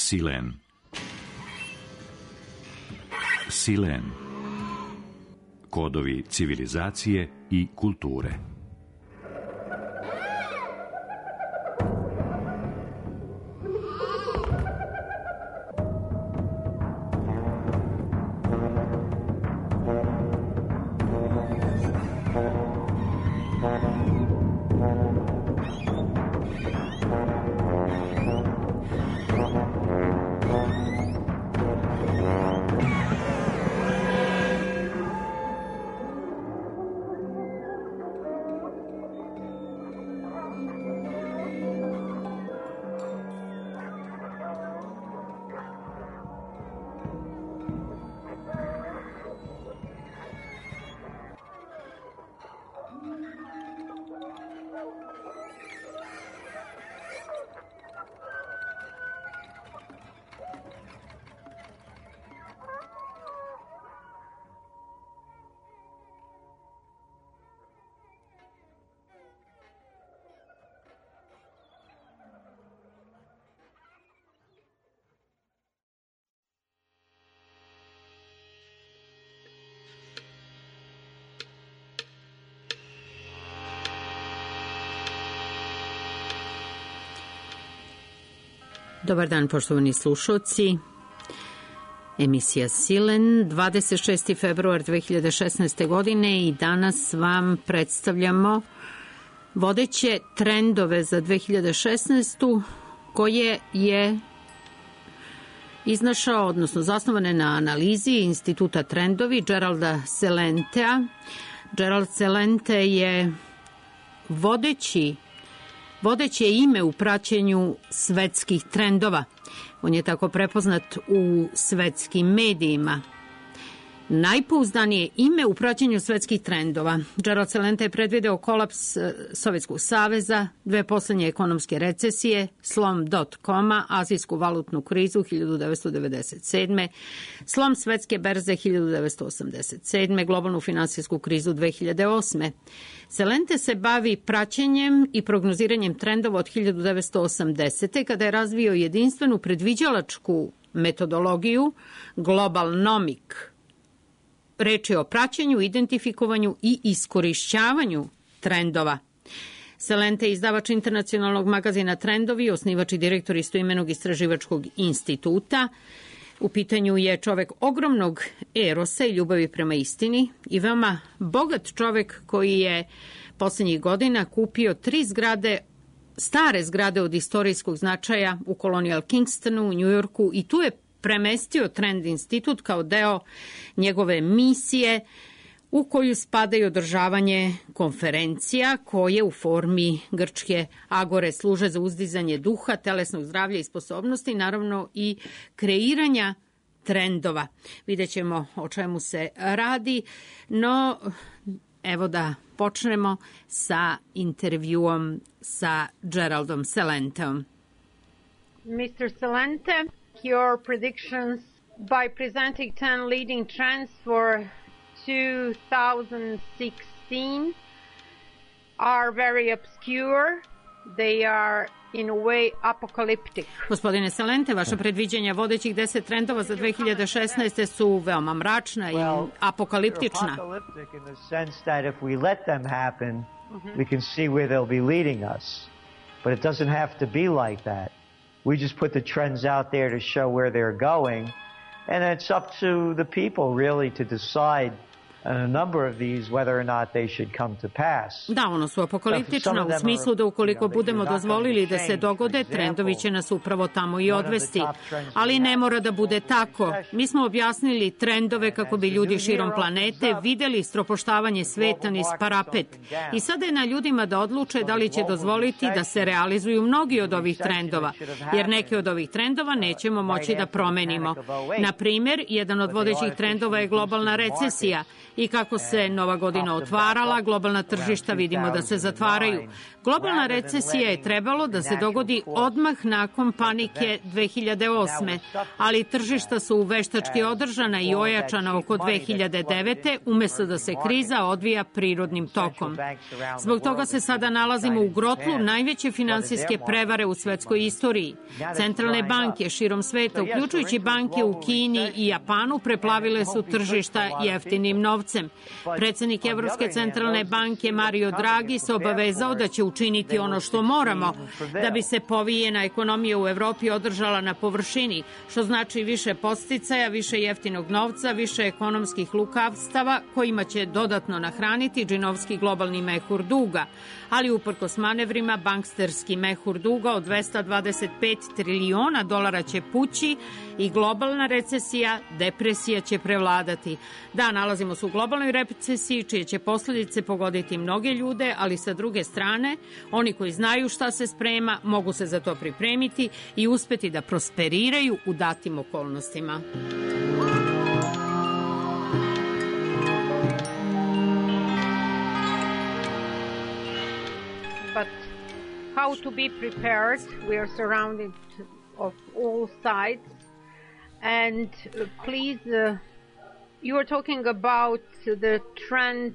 Silen. Silen. Kodovi civilizacije i kulture. Dobar dan, poštovani slušalci. Emisija Silen, 26. februar 2016. godine i danas vam predstavljamo vodeće trendove za 2016. koje je iznašao, odnosno zasnovane na analizi Instituta Trendovi Geralda Celentea. Gerald Celente je vodeće ime u praćenju svetskih trendova. On je tako prepoznat u svetskim medijima. Najpouzdanije ime u praćenju svetskih trendova. Gerald Celente je predvideo kolaps Sovjetskog saveza, 2 poslednje ekonomske recesije, slom .com-a, azijsku valutnu krizu 1997. slom svetske berze 1987. globalnu finansijsku krizu 2008. Celente se bavi praćenjem i prognoziranjem trendova od 1980. kada je razvio jedinstvenu predviđalačku metodologiju Globalnomic. Reč je o praćenju, identifikovanju i iskorišćavanju trendova. Celente je izdavač internacionalnog magazina Trendovi, osnivač i direktor istoimenog istraživačkog instituta. U pitanju je čovek ogromnog erosa i ljubavi prema istini i veoma bogat čovek koji je poslednjih godina kupio 3 stare zgrade od istorijskog značaja u Colonial Kingstonu, u Njujorku, i tu je premestio Trend institut kao deo njegove misije u koju spada i održavanje konferencija koje u formi grčke agore služe za uzdizanje duha, telesnog zdravlja i sposobnosti, naravno i kreiranja trendova. Vidjet ćemo o čemu se radi, no evo da počnemo sa intervjuom sa Geraldom Celenteom. Mr. Celente, your predictions by presenting 10 leading trends for 2016 are very obscure. They are in a way apocalyptic. Gospodine Celente, vaše predviđanja vodećih 10 trendova za 2016. su veoma mračna i apokaliptična. Apocalyptic in the sense that if we let them happen, we can see where they'll be leading us. But it doesn't have to be like that. We just put the trends out there to show where they're going, and it's up to the people really to decide on a number of these whether or not they should come to pass. Da, ono su apokaliptična u smislu da ukoliko budemo dozvolili da se dogode, trendovi će nas upravo tamo i odvesti. Ali ne mora da bude tako. Mi smo objasnili trendove kako bi ljudi širom planete videli stropoštavanje sveta niz parapet. I sada je na ljudima da odluče da li će dozvoliti da se realizuju mnogi od ovih trendova, jer neke od ovih trendova nećemo moći da promenimo. Na primer, jedan od vodećih trendova je globalna recesija. I kako se nova godina otvarala, globalna tržišta vidimo da se zatvaraju. Globalna recesija je trebalo da se dogodi odmah nakon panike 2008. Ali tržišta su veštački održana i ojačana oko 2009. umjesto da se kriza odvija prirodnim tokom. Zbog toga se sada nalazimo u grotlu najveće finansijske prevare u svetskoj istoriji. Centralne banke širom sveta, uključujući banke u Kini i Japanu, preplavile su tržišta jeftinim novcem. Predsjednik Evropske centralne banke Mario Draghi se obavezao da će učiniti ono što moramo da bi se povijena ekonomija u Evropi održala na površini, što znači više podsticaja, više jeftinog novca, više ekonomskih lukavstava kojima će dodatno nahraniti džinovski globalni mehur duga. Ali uprkos manevrima, banksterski mehur duga od 225 trilijona dolara će pući i globalna recesija, depresija će prevladati. Da, nalazimo se u globalnoj recesiji čije će posljedice pogoditi mnoge ljude, ali sa druge strane, oni koji znaju šta se sprema mogu se za to pripremiti i uspeti da prosperiraju u datim okolnostima. But how to be prepared? We are surrounded of all sides. And please, you are talking about the trend,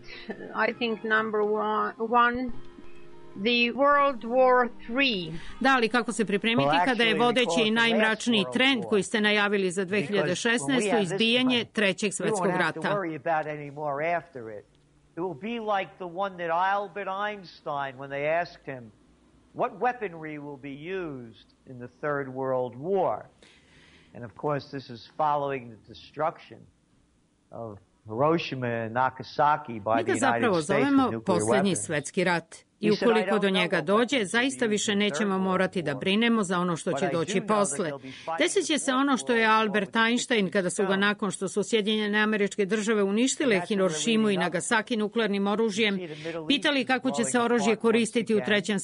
I think number one, the World War III. Da, ali kako se pripremiti kada je vodeći i najmračniji trend koji ste najavili za 2016. izbijanje Trećeg svjetskog rata? It will be like the one that Albert Einstein, when they asked him, what weaponry will be used in the Third World War? And of course, this is following the destruction of Hiroshima and Nagasaki by the United States with nuclear weapons. Mi ga zapravo zovemo posljednji svjetski rat. I ukoliko do njega dođe, zaista više nećemo morati da brinemo za ono što će doći posle. Desit će se ono što je Albert Einstein, kada su ga nakon što su Sjedinjene Američke Države uništile Hirošimu i Nagasaki nuklearnim oružjem, pitali kako će se oružje koristiti u Trećem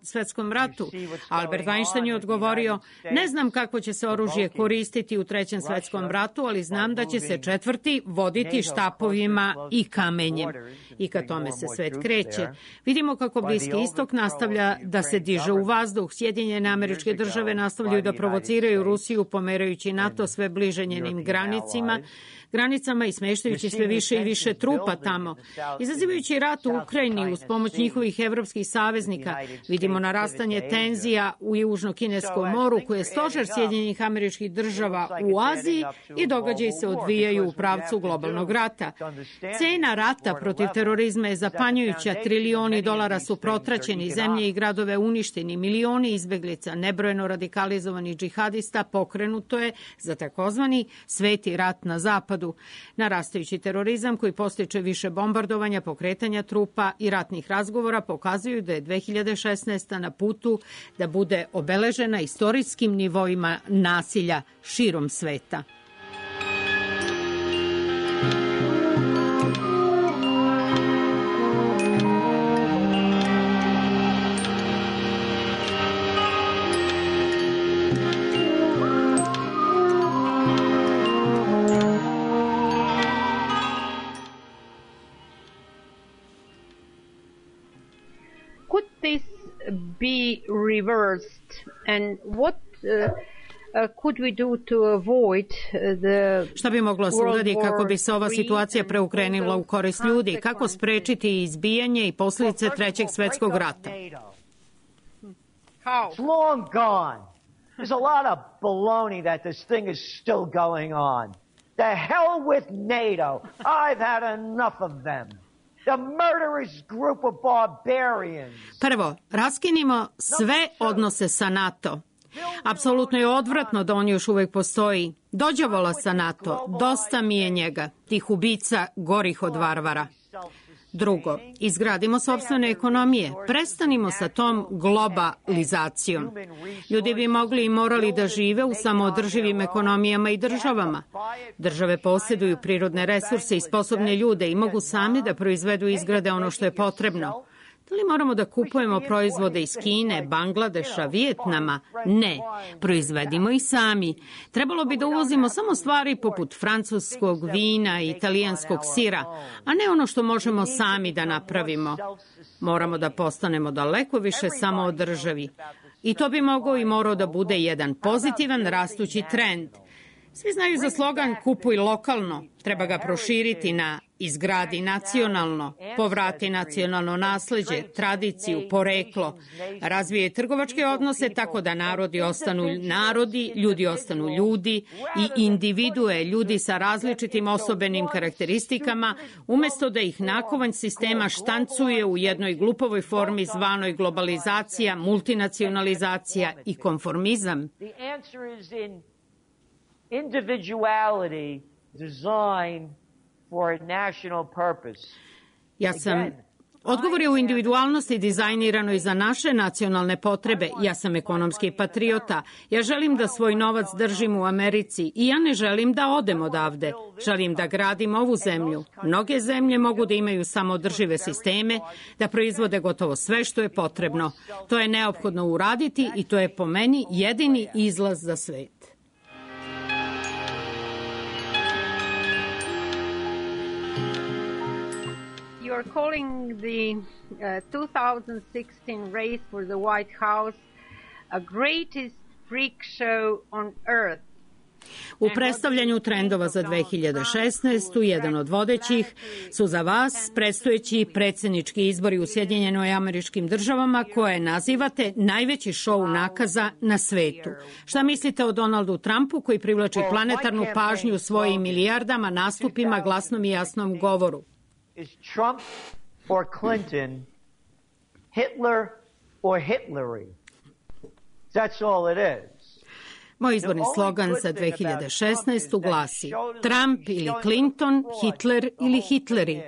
svjetskom ratu. Albert Einstein je odgovorio, ne znam kako će se oružje koristiti u Trećem svjetskom ratu, ali znam da će se četvrti voditi štapovima i kamenjem. I ka tome se svet kreće. Vidimo kako Bliski istok nastavlja da se diže u vazduh. Sjedinjene Američke Države nastavljaju da provociraju Rusiju, pomerajući NATO sve bliže njenim granicama i smještajući sve više i više trupa tamo. Izazivajući rat u Ukrajini uz pomoć njihovih evropskih saveznika, vidimo narastanje tenzija u Južno-Kineskom moru, koje je stožer Sjedinjenih Američkih Država u Aziji i događaji se odvijaju u pravcu globalnog rata. Cena rata protiv terorizma je zapanjujuća, trilioni dolara su protraćeni, zemlje i gradove uništeni, milioni izbeglica, nebrojeno radikalizovanih džihadista pokrenuto je za takozvani sveti rat na zapadu. Narastajući terorizam koji postiče više bombardovanja, pokretanja trupa i ratnih razgovora pokazuju da je 2016. na putu da bude obeležena istorijskim nivoima nasilja širom sveta. Be reversed, and what could we do to avoid the Šta bi moglo se uraditi kako bi se ova situacija preokrenula u korist ljudi? Kako sprečiti izbijanje i posljedice Trećeg svjetskog rata? How? It's long gone. There's a lot of baloney that this thing is still going on. The hell with NATO. I've had enough of them. The murderous group of barbarians. Prvo, raskinimo sve odnose sa NATO. Apsolutno je odvratno da on još uvijek postoji. Dođavola sa NATO, dosta mi je njega, tih ubica gorih od varvara. Drugo, izgradimo sopstvene ekonomije, prestanimo sa tom globalizacijom. Ljudi bi mogli i morali da žive u samoodrživim ekonomijama i državama. Države posjeduju prirodne resurse i sposobne ljude i mogu sami da proizvedu i izgrade ono što je potrebno. Da li moramo da kupujemo proizvode iz Kine, Bangladeša, Vijetnama? Ne, proizvedimo ih sami. Trebalo bi da uvozimo samo stvari poput francuskog vina i italijanskog sira, a ne ono što možemo sami da napravimo. Moramo da postanemo daleko više samoodrživi. I to bi mogao i morao da bude jedan pozitivan rastući trend. Svi znaju za slogan kupuj lokalno, treba ga proširiti na izgradi nacionalno, povrati nacionalno nasleđe, tradiciju, poreklo, razvije trgovačke odnose tako da narodi ostanu narodi, ljudi ostanu ljudi i individue, ljudi sa različitim osobenim karakteristikama, umjesto da ih nakovanj sistema štancuje u jednoj glupovoj formi zvanoj globalizacija, multinacionalizacija i konformizam. Individuality designed for a national purpose. Odgovor je u individualnosti dizajniranoj za naše nacionalne potrebe. Ja sam ekonomski patriota. Ja želim da svoj novac držim u Americi i ja ne želim da odem odavde. Želim da gradim ovu zemlju. Mnoge zemlje mogu da imaju samoodržive sisteme, da proizvode gotovo sve što je potrebno. To je neophodno uraditi i to je po meni jedini izlaz za svet. You are calling the 2016 race for the White House a greatest freak show on earth. U predstavljanju trendova za 2016. jedan od vodećih su za vas predstojeći predsjednički izbori u Sjedinjenoj Američkim Državama koje nazivate najveći šou nakaza na svetu. Šta mislite o Donaldu Trumpu koji privlači planetarnu pažnju svojim milijardama nastupima, glasnom i jasnom govoru? Is Trump or Clinton, Hitler or Hitlery? That's all it is. Moj izborni slogan za 2016. glasi Trump ili Clinton, Hitler ili Hitleri.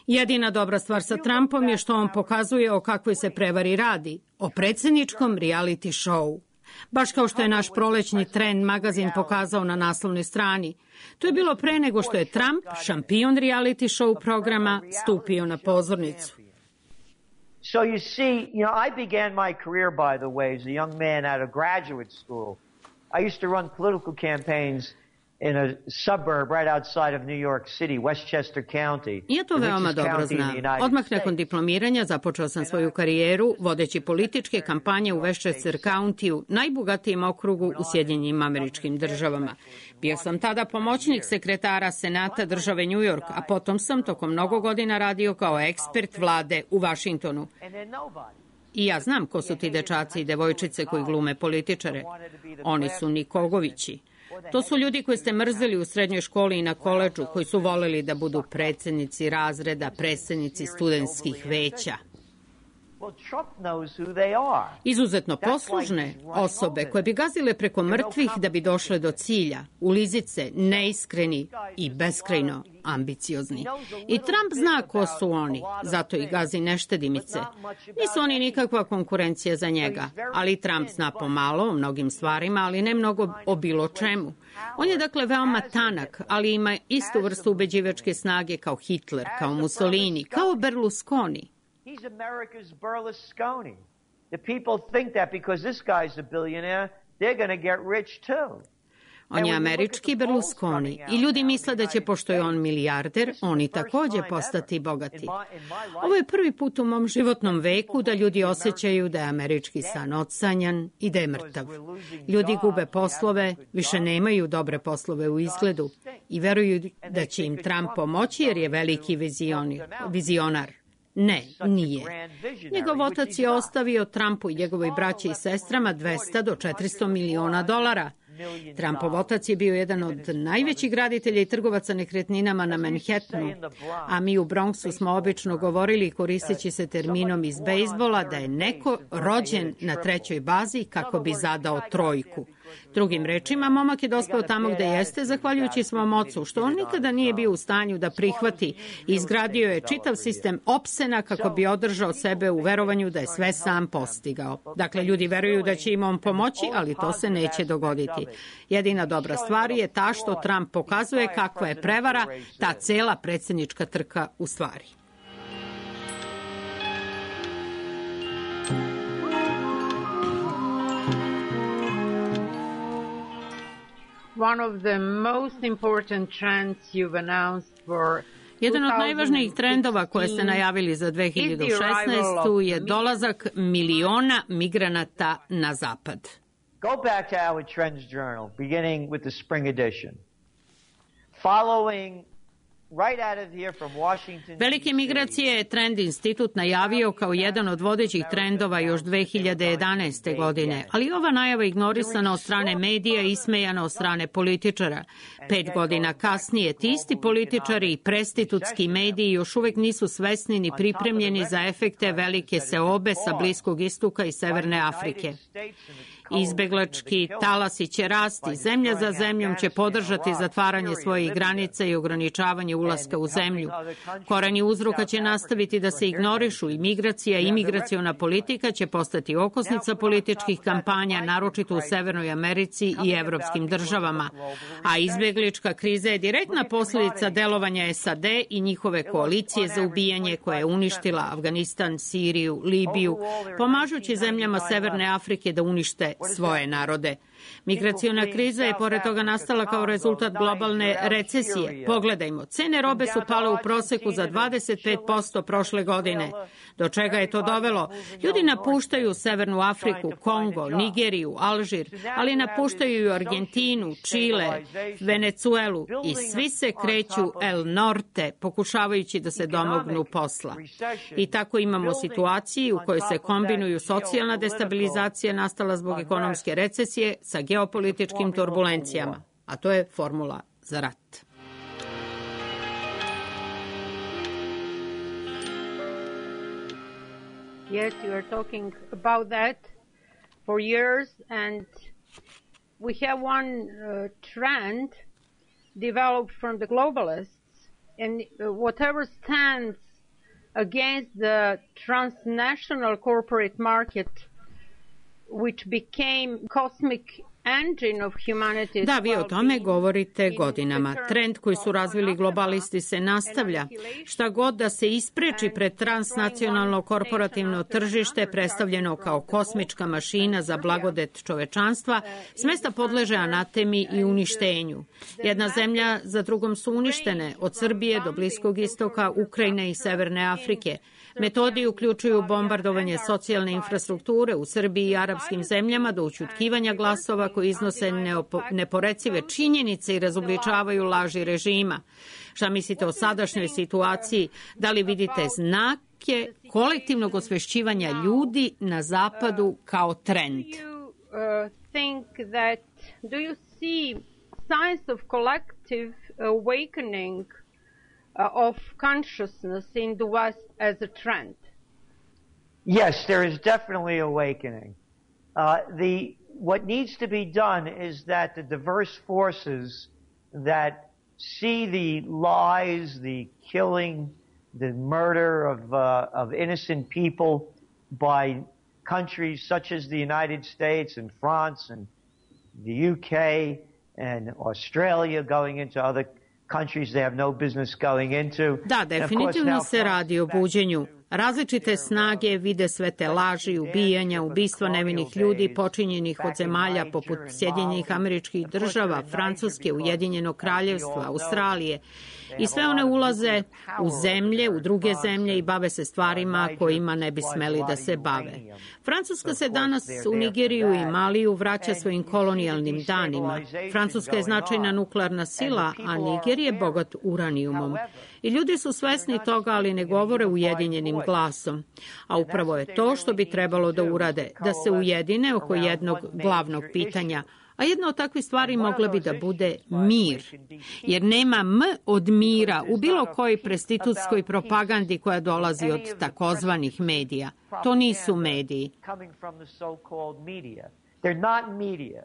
Jedina dobra stvar sa Trumpom je što on pokazuje o kakvoj se prevari radi, o predsjedničkom reality show. Baš kao što je naš prolećni Trend magazin pokazao na naslovnoj strani. To je bilo pre nego što je Trump, šampion reality show programa, stupio na pozornicu. So you see, I began my career, by the way, as a young man out of graduate school. I used to run political campaigns in a suburb right outside of New York City, Westchester County. Ja to veoma dobro znam. Odmah nakon diplomiranja započeo sam svoju karijeru vodeći političke kampanje u Westchester Countyu, najbogatijem okrugu u Sjedinjenim Američkim Državama. Bio sam tada pomoćnik sekretara Senata države New York, a potom sam tokom mnogo godina radio kao ekspert vlade u Washingtonu. I ja znam ko su ti dečaci i devojčice koji glume političare. Oni su Nikogovići. To su ljudi koji ste mrzeli u srednjoj školi i na koledžu, koji su voleli da budu predsjednici razreda, predsjednici studentskih veća. Izuzetno poslužne osobe koje bi gazile preko mrtvih da bi došle do cilja, ulizice, neiskreni i beskrajno ambiciozni. I Trump zna ko su oni, zato ih gazi neštedimice. Nisu oni nikakva konkurencija za njega, ali Trump zna pomalo o mnogim stvarima, ali ne mnogo o bilo čemu. On je dakle veoma tanak, ali ima istu vrstu ubeđivačke snage kao Hitler, kao Mussolini, kao Berlusconi. He's America's Berlusconi. The people think that because this guy's a billionaire, they're going to get rich too. On je američki Berlusconi i ljudi misle da će, pošto je on milijarder, oni također postati bogati. Ovo je prvi put u mom životnom veku da ljudi osjećaju da je američki san odsanjan i da je mrtav. Ljudi gube poslove, više nemaju dobre poslove u izgledu i veruju da će im Trump pomoći jer je veliki vizionar. Ne, nije. Njegov otac je ostavio Trumpu i njegovoj braći i sestrama $200 do $400 miliona. Trumpov otac je bio jedan od najvećih graditelja i trgovaca nekretninama na Manhattanu, a mi u Bronxu smo obično govorili, koristeći se terminom iz bejsbola, da je neko rođen na trećoj bazi kako bi zadao trojku. Drugim rečima, momak je dospeo tamo gde jeste, zahvaljujući svom ocu, što on nikada nije bio u stanju da prihvati i izgradio je čitav sistem opsena kako bi održao sebe u verovanju da je sve sam postigao. Dakle, ljudi veruju da će im on pomoći, ali to se neće dogoditi. Jedina dobra stvar je ta što Trump pokazuje kakva je prevara ta cela predsjednička trka u stvari. one of the most important trends you've announced for Jedan od najvažnijih trendova koje ste najavili za 2016. je dolazak miliona migranata na zapad. Go back to our Trends Journal, beginning with the spring edition. Following right out of here from Washington. Velike migracije je Trend institut najavio kao jedan od vodećih trendova još 2011. godine, ali ova najava ignorisana od strane medija i ismejana od strane političara. 5 godina kasnije ti isti političari i prestitutski mediji još uvek nisu svesni ni pripremljeni za efekte velike seobe sa Bliskog istoka i Severne Afrike. Izbeglački talasi će rasti, zemlja za zemljom će podržati zatvaranje svojih granica i ograničavanje ulaska u zemlju. Koreni uzroka će nastaviti da se ignorišu i migracija i imigraciona politika će postati okosnica političkih kampanja, naročito u Severnoj Americi i evropskim državama. A izbeglička kriza je direktna posljedica delovanja SAD i njihove koalicije za ubijanje koja je uništila Afganistan, Siriju, Libiju, pomažući zemljama Severne Afrike da unište svoje narode. Migraciona kriza je pored toga nastala kao rezultat globalne recesije. Pogledajmo, cene robe su pale u proseku za 25% prošle godine. Do čega je to dovelo? Ljudi napuštaju Severnu Afriku, Kongo, Nigeriju, Alžir, ali napuštaju i Argentinu, Čile, Venecuelu i svi se kreću el norte, pokušavajući da se domognu posla. I tako imamo situaciju u kojoj se kombinuju socijalna destabilizacija nastala zbog ekonomske recesije sa geopolitičkim turbulencijama, a to je formula za rat. Yes, you are talking about that for years, and we have one trend developed from the globalists, and whatever stands against the transnational corporate market, which became cosmic engine of humanity's. Da, vi o tome govorite godinama. Trend koji su razvili globalisti se nastavlja. Šta god da se ispreči pred transnacionalno korporativno tržište predstavljeno kao kosmička mašina za blagodet čovečanstva, smesta podleže anatemi i uništenju. Jedna zemlja za drugom su uništene, od Srbije do Bliskog istoka, Ukrajine i Severne Afrike. Metodi uključuju bombardovanje socijalne infrastrukture u Srbiji i arapskim zemljama do ućutkivanja glasova koji iznose neporecive činjenice i razobličavaju laži režima. Šta mislite o sadašnjoj situaciji? Da li vidite znake kolektivnog osvešćivanja ljudi na zapadu kao trend? Do you see signs of collective awakening of consciousness in the West as a trend? Yes, there is definitely awakening. What needs to be done is that the diverse forces that see the lies, the killing, the murder of innocent people by countries such as the United States and France and the UK and Australia going into other countries they have no business going into. Da, definitivno se radi o buđenju. Različite snage vide sve te laži, ubijanja, ubistva nevinih ljudi počinjenih od zemalja poput Sjedinjenih Američkih Država, Francuske, Ujedinjenog Kraljevstva, Australije. I sve one ulaze u zemlje, u druge zemlje i bave se stvarima kojima ne bi smeli da se bave. Francuska se danas u Nigeriju i Maliju vraća svojim kolonijalnim danima. Francuska je značajna nuklearna sila, a Niger je bogat uranijumom. I ljudi su svesni toga, ali ne govore ujedinjenim glasom. A upravo je to što bi trebalo da urade, da se ujedine oko jednog glavnog pitanja. A jedna od takvih stvari mogla bi da bude mir. Jer nema M od mira u bilo kojoj prestitutskoj propagandi koja dolazi od takozvanih medija. To nisu mediji. They're not media.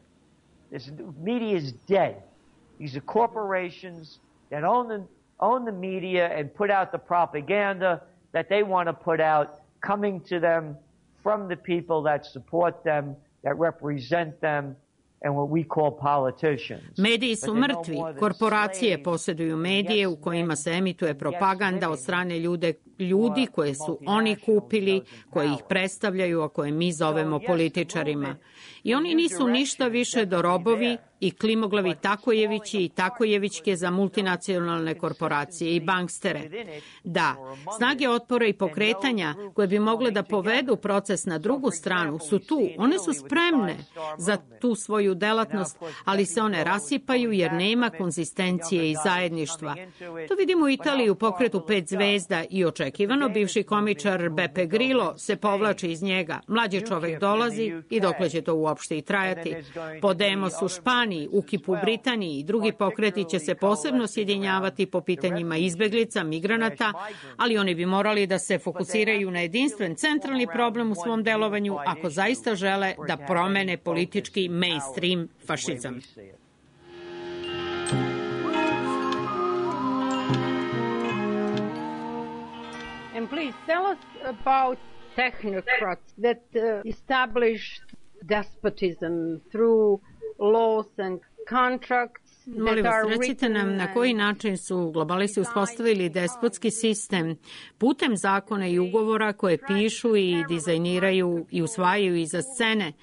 Media is dead. These are corporations that own the media and put out the propaganda that they want to put out, coming to them from the people that support them, that represent them, and what we call politicians. Mediji su mrtvi. Korporacije posjeduju medije u kojima se emituje propaganda od strane ljudi koje su oni kupili, koji ih predstavljaju, a koje mi zovemo političarima. I oni nisu ništa više do robovi i klimoglavi Takojevići i Takojevićke za multinacionalne korporacije i bankstere. Da, snage otpora i pokretanja koje bi mogle da povedu proces na drugu stranu su tu. One su spremne za tu svoju delatnost, ali se one rasipaju jer nema konzistencije i zajedništva. To vidimo u Italiji u pokretu 5 zvezda i očekivano bivši komičar Beppe Grillo se povlači iz njega. Mlađi čovek dolazi i dokle će to uopšte i trajati. Podemos u Španiji, UKIP u Britaniji i drugi pokreti će se posebno sjedinjavati po pitanjima izbeglica, migranata, ali oni bi morali da se fokusiraju na jedinstven centralni problem u svom delovanju ako zaista žele da promene politički mainstream fašizam. And please tell us about technocrats that established despotism through laws and contracts. Molim vas, recite nam na koji način su globalisti uspostavili despotski sistem putem zakona i ugovora koje pišu i dizajniraju i usvajaju iza scene.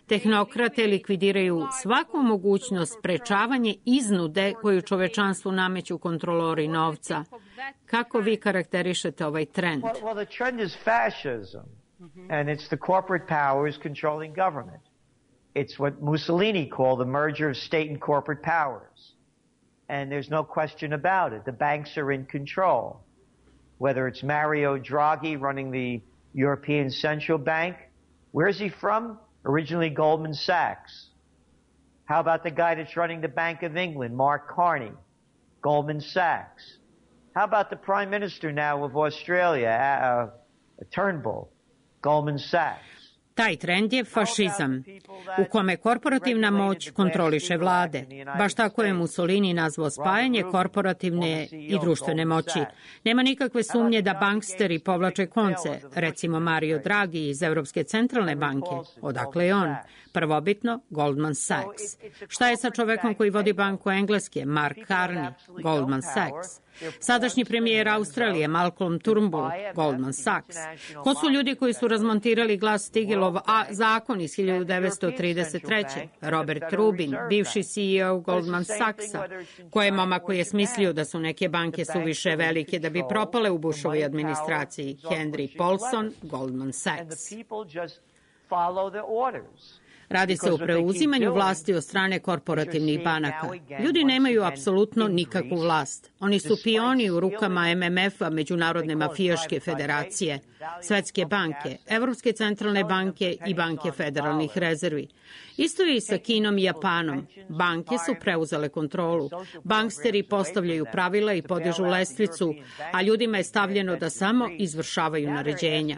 Tehnokrate likvidiraju svaku mogućnost sprečavanje iznude koju čovečanstvu nameću kontrolori novca. Kako vi karakterišete ovaj trend? Well, the trend is fascism, and it's the corporate powers controlling government. It's what Mussolini called the merger of state and corporate powers. And there's no question about it. The banks are in control. Whether it's Mario Draghi running the European Central Bank, where's he from? Originally Goldman Sachs. How about the guy that's running the Bank of England, Mark Carney, Goldman Sachs? How about the Prime Minister now of Australia, Turnbull, Goldman Sachs? Taj trend je fašizam, u kome korporativna moć kontroliše vlade. Baš tako je Mussolini nazvao spajanje korporativne i društvene moći. Nema nikakve sumnje da banksteri povlače konce, recimo Mario Draghi iz Evropske centralne banke. Odakle je on? Prvobitno Goldman Sachs. Šta je sa čovekom koji vodi banku Engleske, Mark Carney, Goldman Sachs? Sadašnji premijer Australije, Malcolm Turnbull, Goldman Sachs. Ko su ljudi koji su razmontirali Glass-Steagallov zakon iz 1933. Robert Rubin, bivši CEO Goldman Sachsa. Ko je momak koji je smislio da su neke banke suviše velike da bi propale u Bushovoj administraciji? Henry Paulson, Goldman Sachs. Radi se o preuzimanju vlasti od strane korporativnih banaka. Ljudi nemaju apsolutno nikakvu vlast. Oni su pioni u rukama MMF-a, Međunarodne mafijaške federacije, Svetske banke, Evropske centralne banke i banke federalnih rezervi. Isto je i sa Kinom i Japanom. Banke su preuzele kontrolu. Banksteri postavljaju pravila i podižu lestvicu, a ljudima je stavljeno da samo izvršavaju naređenja.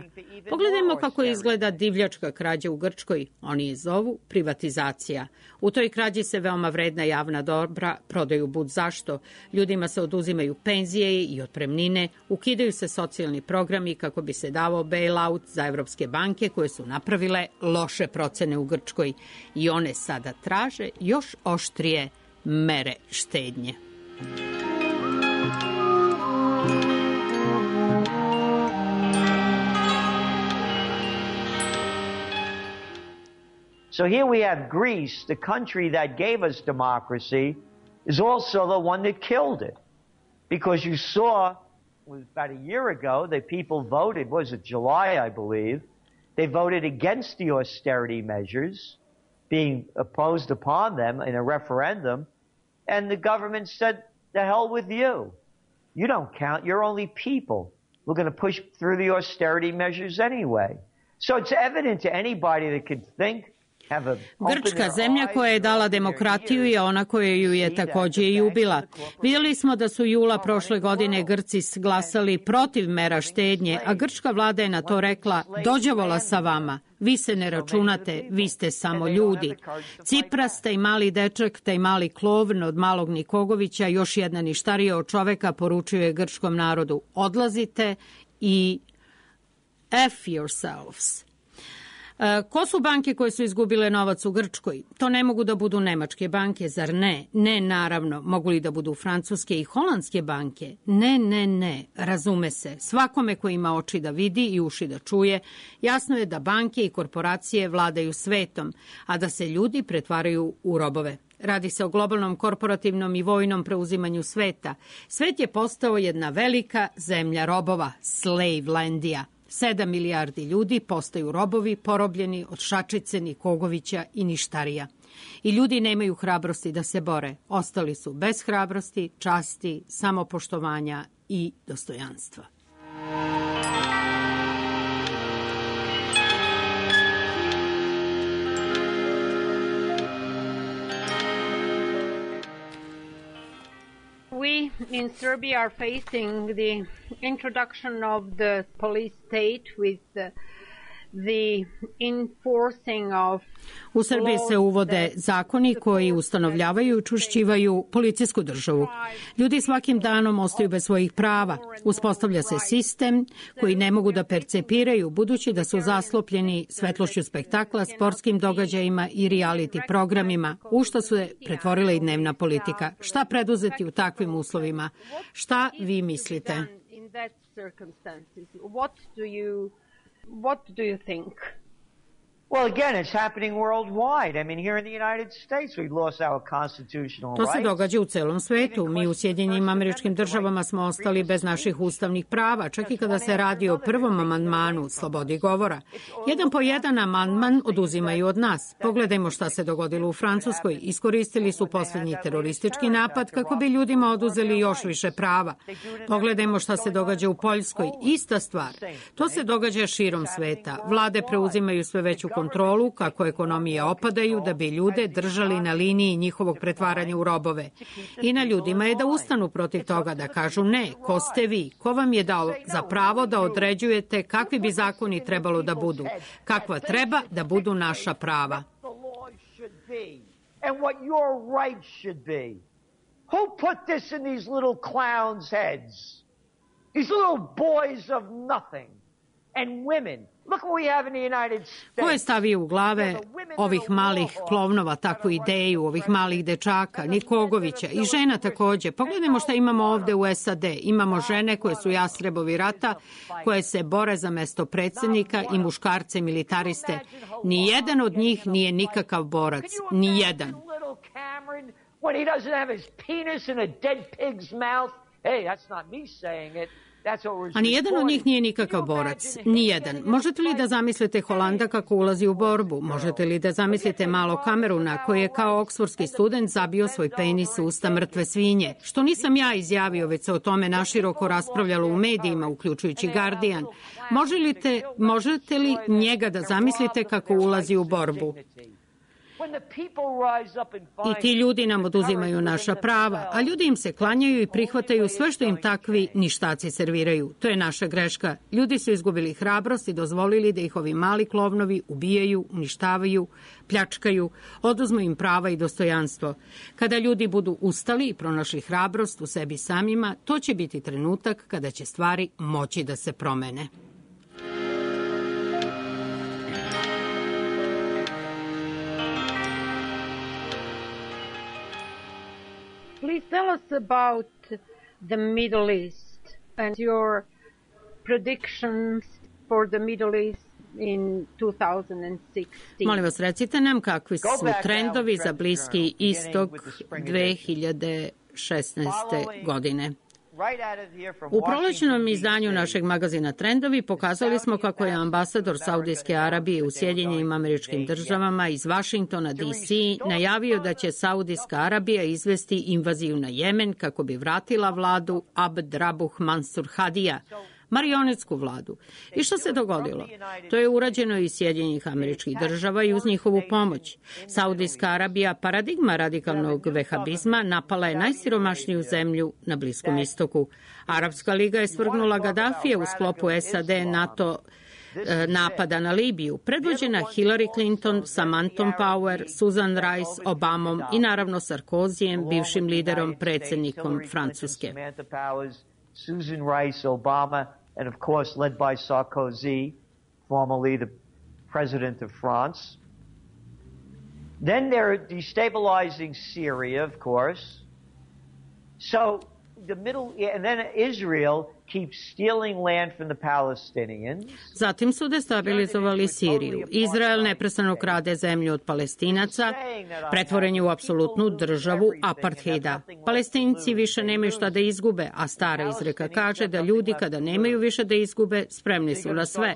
Pogledajmo kako izgleda divljačka krađa u Grčkoj. Oni je zovu privatizacija. U toj krađi se veoma vredna javna dobra prodaju bud zašto. Ljudima se oduzimaju penzije i otpremnine, ukidaju se socijalni programi kako bi se davao bailout za evropske banke koje su napravile loše procene u Grčkoj i one sada traže još oštrije mere štednje. So here we have Greece, the country that gave us democracy, is also the one that killed it. Because you saw, about a year ago, the people voted, was it July, I believe, they voted against the austerity measures being opposed upon them in a referendum, and the government said, the hell with you. You don't count, you're only people. We're going to push through the austerity measures anyway. So it's evident to anybody that could think. Grčka, zemlja koja je dala demokratiju, je ona koja ju je takođe i ubila. Vidjeli smo da su jula prošle godine Grci glasali protiv mera štednje, a grčka vlada je na to rekla, dođavola sa vama, vi se ne računate, vi ste samo ljudi. Cipras, taj mali dečak, taj mali klovn od malog Nikogovića, još jedna ništarija od čoveka, poručio je grčkom narodu, odlazite i F yourselves. Ko su banke koje su izgubile novac u Grčkoj? To ne mogu da budu nemačke banke, zar ne? Ne, naravno. Mogu li da budu francuske i holandske banke? Ne. Razume se. Svakome ko ima oči da vidi i uši da čuje, jasno je da banke i korporacije vladaju svetom, a da se ljudi pretvaraju u robove. Radi se o globalnom korporativnom i vojnom preuzimanju sveta. Svet je postao jedna velika zemlja robova, Slavelandija. 7 milijardi ljudi postaju robovi, porobljeni od šačice, Nikogovića i ništarija. I ljudi nemaju hrabrosti da se bore. Ostali su bez hrabrosti, časti, samopoštovanja i dostojanstva. We in Serbia are facing the introduction of the police state with the enforcing of. U Srbiji se uvode zakoni koji ustanovljavaju i učvršćivaju policijsku državu. Ljudi svakim danom ostaju bez svojih prava. Uspostavlja se sistem koji ne mogu da percepiraju, budući da su zaslopljeni svetlošću spektakla, sportskim događajima i reality programima, u što se pretvorila i dnevna politika. Šta preduzeti u takvim uslovima? Šta vi mislite? What do you think? Well, again, it's happening worldwide. I mean, here in the United States, we've lost our constitutional rights. To se događa u celom svetu. Mi u Sjedinjenim Američkim Državama smo ostali bez naših ustavnih prava, čak i kada se radi o prvom amandmanu slobodi govora. Jedan po jedan amandman oduzimaju od nas. Pogledajmo šta se dogodilo u Francuskoj. Iskoristili su posljednji teroristički napad kako bi ljudima oduzeli još više prava. Pogledajmo šta se događa u Poljskoj. Ista stvar. To se događa širom sveta. Vlade preuzimaju sve veću kontrolu kako ekonomije opadaju da bi ljude držali na liniji njihovog pretvaranja u robove. I na ljudima je da ustanu protiv toga, da kažu ne, ko ste vi, ko vam je dao za pravo da određujete kakvi bi zakoni trebalo da budu, kakva treba da budu naša prava. Who put this in these little clowns' heads? These little boys of nothing and women. Ko je stavio u glave ovih malih klovnova takvu ideju, ovih malih dečaka, Nikogovića i žena takođe? Pogledajmo šta imamo ovde u SAD. Imamo žene koje su jastrebovi rata, koje se bore za mesto predsjednika i muškarce militariste. Nijedan od njih nije nikakav borac. Nijedan. A nijedan od njih nije nikakav borac. Nijedan. Možete li da zamislite Holanda kako ulazi u borbu? Možete li da zamislite malo Kameruna koji je kao oksfordski student zabio svoj penis u usta mrtve svinje? Što nisam ja izjavio, već se o tome naširoko raspravljalo u medijima, uključujući Guardian. Možete li njega da zamislite kako ulazi u borbu? I ti ljudi nam oduzimaju naša prava, a ljudi im se klanjaju i prihvataju sve što im takvi ništaci serviraju. To je naša greška. Ljudi su izgubili hrabrost i dozvolili da ih ovi mali klovnovi ubijaju, uništavaju, pljačkaju, oduzmu im prava i dostojanstvo. Kada ljudi budu ustali i pronašli hrabrost u sebi samima, to će biti trenutak kada će stvari moći da se promene. Please tell us about the Middle East and your predictions for the Middle East in 2016. Molim vas, recite nam kakvi su trendovi za Bliski istok 2016. godine. U prolećnom izdanju našeg magazina Trendovi pokazali smo kako je ambasador Saudijske Arabije u Sjedinjenim Američkim Državama iz Vašingtona, D.C. najavio da će Saudijska Arabija izvesti invaziju na Jemen kako bi vratila vladu Abd Rabuh Mansur Hadija, marionetsku vladu. I što se dogodilo? To je urađeno iz Sjedinjenih Američkih Država i uz njihovu pomoć. Saudijska Arabija, paradigma radikalnog vehabizma, napala je najsiromašniju zemlju na Bliskom istoku. Arapska liga je svrgnula Gadafije u sklopu SAD-NATO napada na Libiju, predvođena Hillary Clinton, Samanthom Power, Susan Rice, Obamom i naravno Sarkozijem, bivšim liderom, predsjednikom Francuske. Susan Rice, Obama, and of course led by Sarkozy, formerly the president of France. Then they're destabilizing Syria, of course. So and then Israel keeps stealing land from the Palestinians. Zatim su destabilizovali Siriju. Izrael neprestano krade zemlju od Palestinaca, pretvoren je u apsolutnu državu apartheida. Palestinci više nemaju šta da izgube, a stara izreka kaže da ljudi kada nemaju više da izgube, spremni su na sve.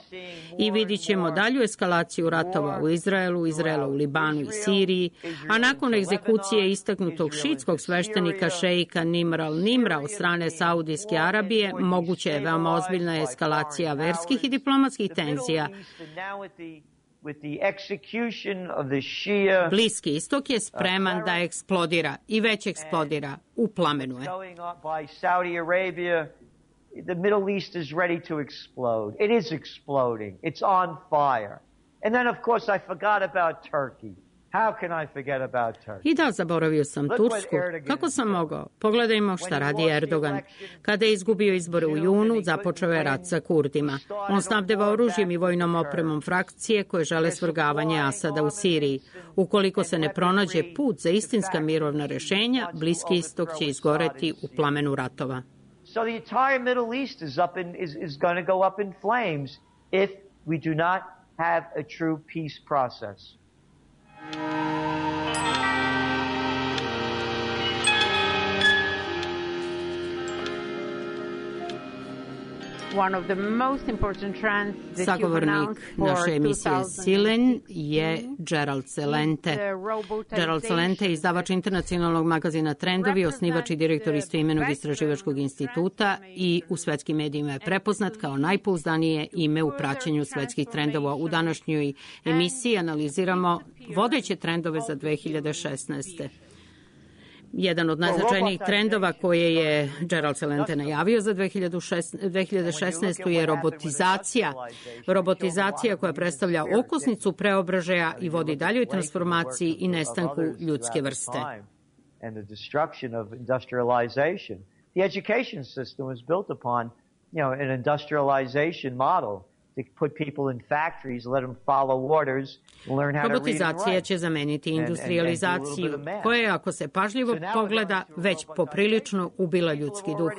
I vidit ćemo dalju eskalaciju ratova u Izraelu, Izraela u Libanu i Siriji, a nakon egzekucije istaknutog šiitskog sveštenika šeika Nimr al-Nimra od strane Saudijske Arabije, moguće je veoma ozbiljna eskalacija verskih i diplomatskih tenzija. Bliski istok je spreman da eksplodira i već eksplodira. U plamenu je. The Middle East is ready to explode. It is exploding. It's on fire. And then, of course, I forgot about Turkey. How can I forget about Turkey? I da, zaboravio sam Tursku. Kako sam mogao? Pogledajmo šta radi Erdogan. Kada je izgubio izbore u junu, započeo je rat sa Kurdima. On snabdeva oružjem i vojnom opremom frakcije koje žele svrgavanje Asada u Siriji. Ukoliko se ne pronađe put za istinska mirovna rešenja, Bliski istok će izgoreti u plamenu ratova. So the entire Middle East is going to go up in flames if we do not have a true peace process. Sagovornik naše emisije Silen je Gerald Celente. Gerald Celente je izdavač internacionalnog magazina Trendovi, osnivač i direktor istoimenog istraživačkog instituta i u svetskim medijima je prepoznat kao najpouzdanije ime u praćenju svetskih trendova. U današnjoj emisiji analiziramo vodeće trendove za 2016. Jedan od najznačajnijih trendova koje je Gerald Celente najavio za 2016. je robotizacija. Robotizacija koja predstavlja okosnicu preobražaja i vodi daljoj transformaciji i nestanku ljudske vrste. The education system was built upon, an industrialization model. Robotizacija će zameniti industrializaciju, koja, ako se pažljivo pogleda, već poprilično ubila ljudski duh.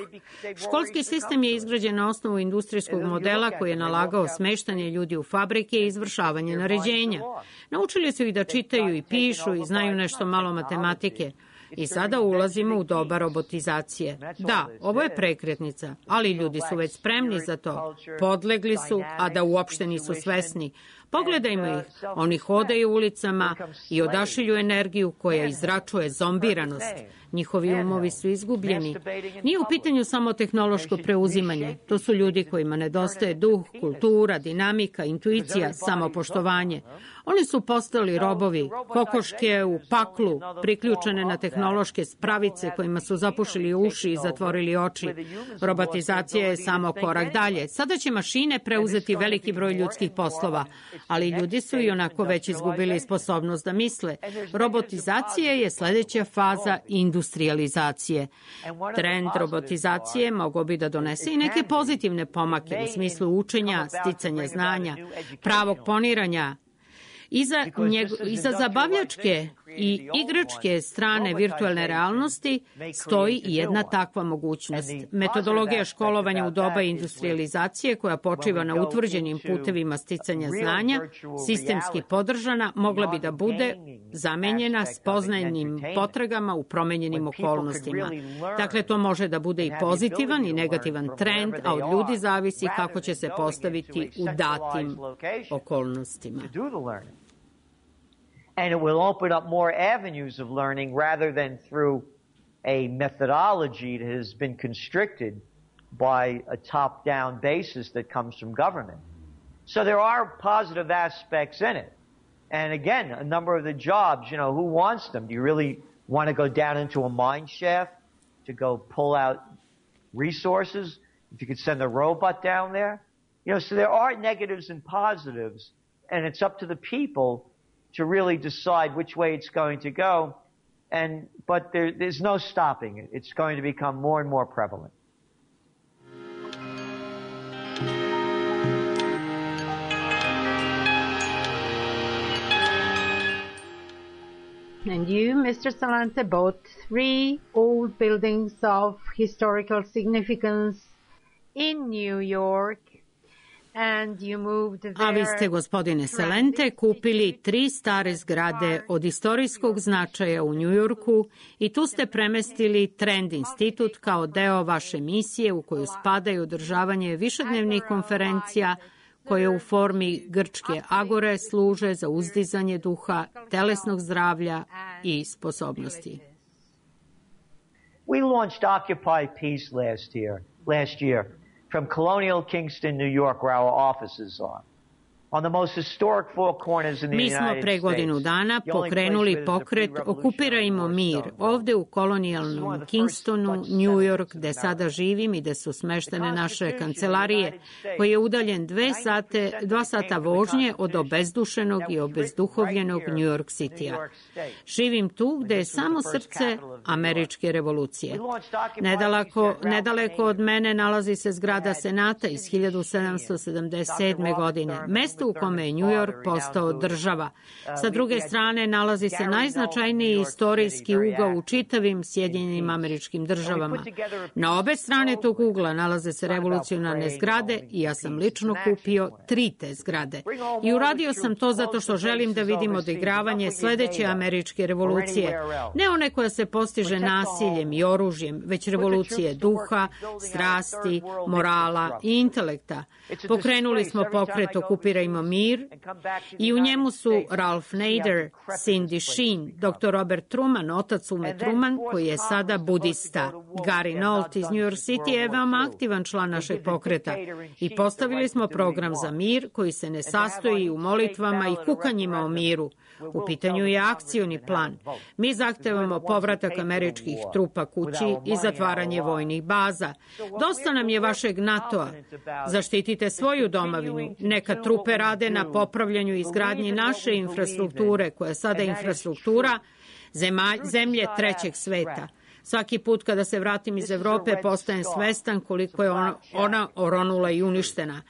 Školski sistem je izgrađen na osnovu industrijskog modela koji je nalagao smeštanje ljudi u fabrike i izvršavanje naređenja. Naučili su ih da čitaju i pišu i znaju nešto malo matematike. I sada ulazimo u doba robotizacije. Da, ovo je prekretnica, ali ljudi su već spremni za to. Podlegli su, a da uopšte nisu svesni. Pogledajmo ih. Oni hodaju ulicama i odašilju energiju koja izračuje zombiranost. Njihovi umovi su izgubljeni. Nije u pitanju samo tehnološko preuzimanje. To su ljudi kojima nedostaje duh, kultura, dinamika, intuicija, samopoštovanje. Oni su postali robovi, kokoške u paklu, priključene na tehnološke spravice kojima su zapušili uši i zatvorili oči. Robotizacija je samo korak dalje. Sada će mašine preuzeti veliki broj ljudskih poslova, ali ljudi su i onako već izgubili sposobnost da misle. Robotizacija je sledeća faza industrializacije. Trend robotizacije mogao bi da donese i neke pozitivne pomake u smislu učenja, sticanja znanja, pravog poniranja. Iza zabavljačke i igračke strane virtualne realnosti stoji i jedna takva mogućnost. Metodologija školovanja u doba industrializacije koja počiva na utvrđenim putevima sticanja znanja, sistemski podržana, mogla bi da bude zamenjena spoznajnim potragama u promenjenim okolnostima. Dakle, to može da bude i pozitivan i negativan trend, a od ljudi zavisi kako će se postaviti u datim okolnostima. And it will open up more avenues of learning rather than through a methodology that has been constricted by a top-down basis that comes from government. So there are positive aspects in it. And again, a number of the jobs, who wants them? Do you really want to go down into a mine shaft to go pull out resources? If you could send a robot down there? So there are negatives and positives, and it's up to the people to really decide which way it's going to go, but there's no stopping it. It's going to become more and more prevalent. and you, Mr. Salante, bought 3 old buildings of historical significance in New York. A vi ste, gospodine Salente, kupili 3 stare zgrade od istorijskog značaja u Njujorku i tu ste premestili Trend institut kao deo vaše misije u koju spadaju održavanje višednevnih konferencija koje u formi grčke agore služe za uzdizanje duha, telesnog zdravlja i sposobnosti. We launched Occupy Peace last year. From Colonial Kingston, New York, where our offices are. Mi smo pre godinu dana pokrenuli pokret Okupirajmo mir ovde u kolonijalnom Kingstonu, New York, gde sada živim i gde su smeštene naše kancelarije, koji je udaljen 2 sata vožnje od obezdušenog i obezduhovljenog New York City-a. Živim tu gde je samo srce američke revolucije. Nedaleko od mene nalazi se zgrada Senata iz 1777. godine. Mesto u kome je New York postao država. Sa druge strane nalazi se najznačajniji istorijski ugao u čitavim Sjedinjenim Američkim Državama. Na obe strane tog ugla nalaze se revolucionarne zgrade i ja sam lično kupio 3 te zgrade. I uradio sam to zato što želim da vidim odigravanje sledeće američke revolucije. Ne one koja se postiže nasiljem i oružjem, već revolucije duha, strasti, morala i intelekta. Pokrenuli smo pokret Okupirajmo mir i u njemu su Ralph Nader, Cindy Sheen, dr. Robert Truman, otac Ume Truman, koji je sada budista. Gary Nolt iz New York City je veoma aktivan član našeg pokreta i postavili smo program za mir koji se ne sastoji u molitvama i kukanjima o miru. U pitanju je akcioni plan. Mi zahtevamo povratak američkih trupa kući i zatvaranje vojnih baza. Dosta nam je vašeg NATO-a. Zaštitite svoju domovinu. Neka trupe rade na popravljanju i izgradnji naše infrastrukture, koja je sada infrastruktura zemlje trećeg sveta. Svaki put kada se vratim iz Evrope postajem svestan koliko je ona oronula i uništena.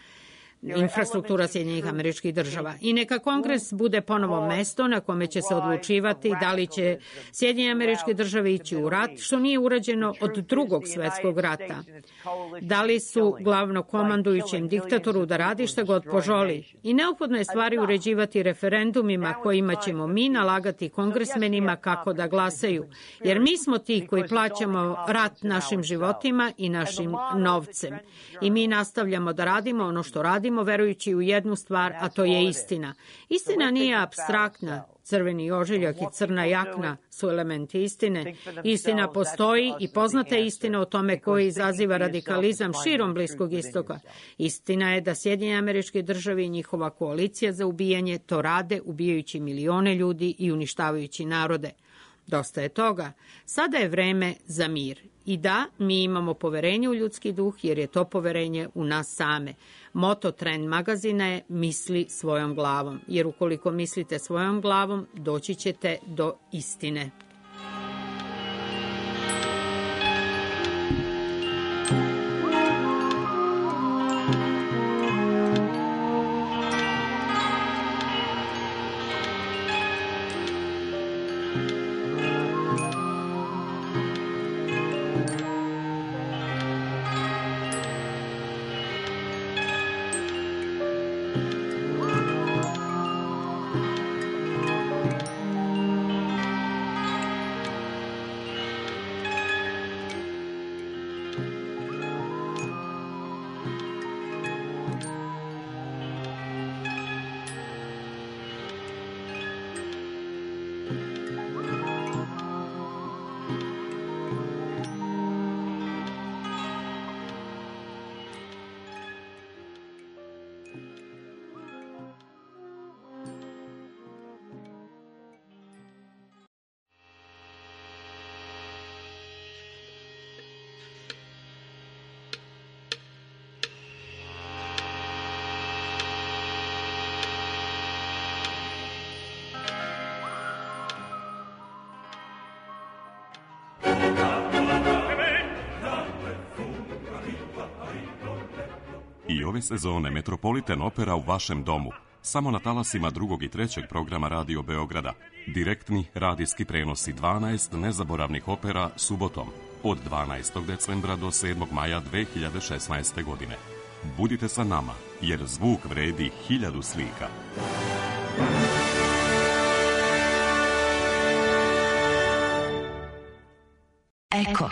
Infrastruktura Sjedinjenih Američkih Država. I neka Kongres bude ponovo mesto na kome će se odlučivati da li će Sjedinjene Američke Države ići u rat, što nije urađeno od Drugog svetskog rata. Da li su glavnokomandujućem diktatoru da radi šta god poželi. I neophodno je stvari uređivati referendumima kojima ćemo mi nalagati kongresmenima kako da glasaju. Jer mi smo ti koji plaćamo rat našim životima i našim novcem. I mi nastavljamo da radimo ono što radimo, verujući u jednu stvar, a to je istina. Istina nije apstraktna. Crveni ožiljak i crna jakna su elementi istine. Istina postoji i poznata je istina o tome koji izaziva radikalizam širom Bliskog istoka. Istina je da Sjedinjene Američke Države i njihova koalicija za ubijanje to rade, ubijajući milione ljudi i uništavajući narode. Dosta je toga. Sada je vreme za mir. I da, mi imamo poverenje u ljudski duh, jer je to poverenje u nas same. Moto Trend magazina je misli svojom glavom, jer ukoliko mislite svojom glavom, doći ćete do istine. I ove sezone Metropolitan Opera u vašem domu samo na talasima drugog i trećeg programa Radio Beograda. Direktni radijski prenosi 12 nezaboravnih opera subotom od 12. decembra do 7. maja 2016. godine. Budite sa nama, jer zvuk vredi 1000 slika. Eko.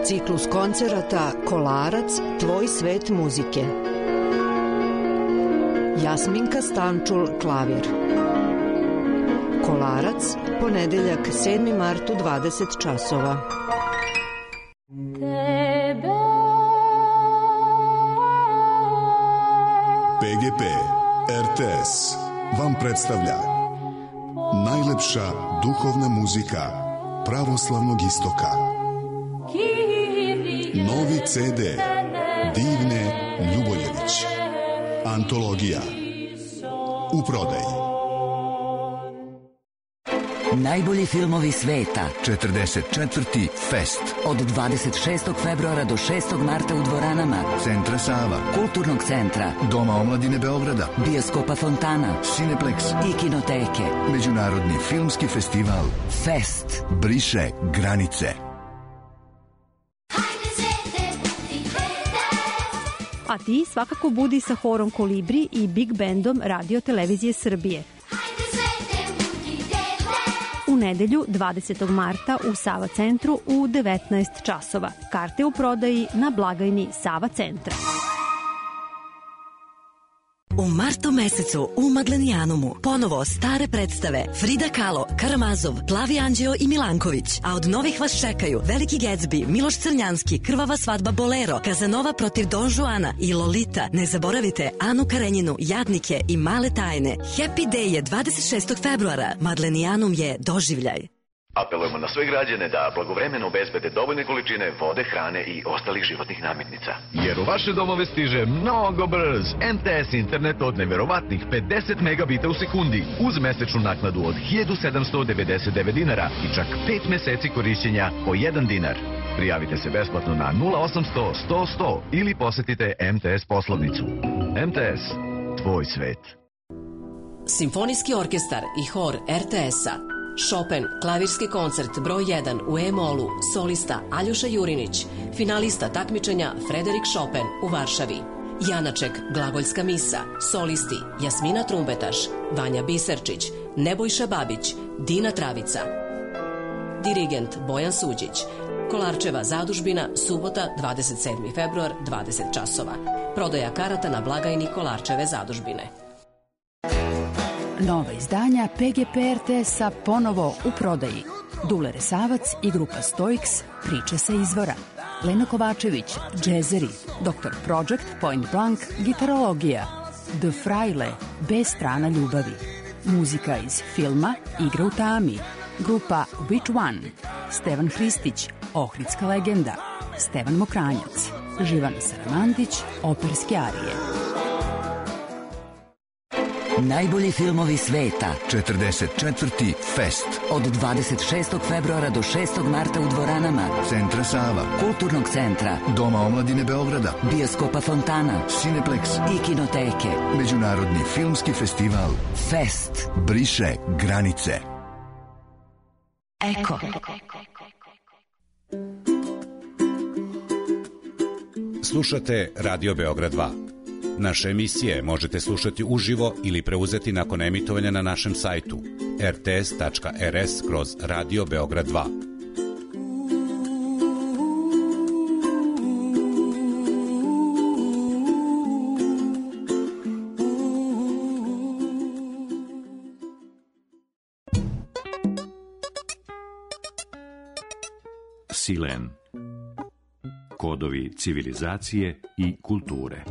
Ciklus koncerata Kolarac, tvoj svet muzike. Jasminka Stančul, klavir. Kolarac, ponedeljak 7. mart u 20 časova. PGP RTS vam predstavlja najlepša duhovna muzika pravoslavnog istoka. Novi CD Divne Ljuboljević. Antologija. U prodaji. Najbolji filmovi sveta. 44. Fest. Od 26. februara do 6. marta u dvoranama Centra Sava, Kulturnog centra, Doma omladine Beograda, Bioskopa Fontana, Cineplex i Kinoteke. Međunarodni filmski festival Fest. Briše granice. A ti svakako budi sa horom Kolibri i Big Bandom Radio Televizije Srbije. U nedelju 20. marta u Sava centru u 19 časova. Karte u prodaji na blagajni Sava centra. U martu mesecu u Maglenijanumu ponovo stare predstave Frida Kahlo, Karamazov, Plavi Anđeo i Milanković, a od novih vas čekaju Veliki Gatsby, Miloš Crnjanski, Krvava svadba Bolero, Kazanova protiv Don Juana i Lolita. Ne zaboravite Anu Karenjinu, Jadnike i Male tajne. Happy Day je 26. februara. Maglenijanum je doživljaj. Apelujemo na sve građane da blagovremeno obezbede dovoljne količine vode, hrane i ostalih životnih namirnica. Jer u vaše domove stiže mnogo brz MTS internet od neverovatnih 50 megabita u sekundi uz mesečnu naknadu od 1799 dinara i čak 5 meseci korišćenja po 1 dinar. Prijavite se besplatno na 0800 100 100 ili posetite MTS poslovnicu. MTS, tvoj svet. Simfonijski orkestar i hor RTS-a. Chopin, klavirski koncert broj 1 u E-molu, solista Aljoša Jurinić, finalista takmičenja Frederik Chopin u Varšavi. Janaček, glagoljska misa, solisti Jasmina Trumbetaš, Vanja Biserčić, Nebojša Babić, Dina Travica. Dirigent Bojan Suđić. Kolarčeva zadužbina, subota 27. februar, 20 časova. Prodaja karata na blagajni Kolarčeve zadužbine. Nova izdanja PGP RTS-a ponovo u prodaji. Dule Resavac i grupa Stoiks, priče sa izvora. Lena Kovačević, džezeri. Dr. Project, Point Blank, gitarologija. The Fraile, bez strana ljubavi. Muzika iz filma Igra u tami. Grupa Which One. Stevan Hristić, Ohridska legenda. Stevan Mokranjac. Živana Saramandić, operske arije. Najbolji filmovi sveta. 44. Fest. Od 26. februara do 6. marta u dvoranama Centra Sava, Kulturnog centra, Doma omladine Beograda, Bioskopa Fontana, Cineplex i Kinoteke. Međunarodni filmski festival Fest. Briše granice. Eko. Slušate Radio Beograd 2. Naše emisije možete slušati uživo ili preuzeti nakon emitovanja na našem sajtu rts.rs/Radio Beograd 2. Silen. Kodovi civilizacije i kulture.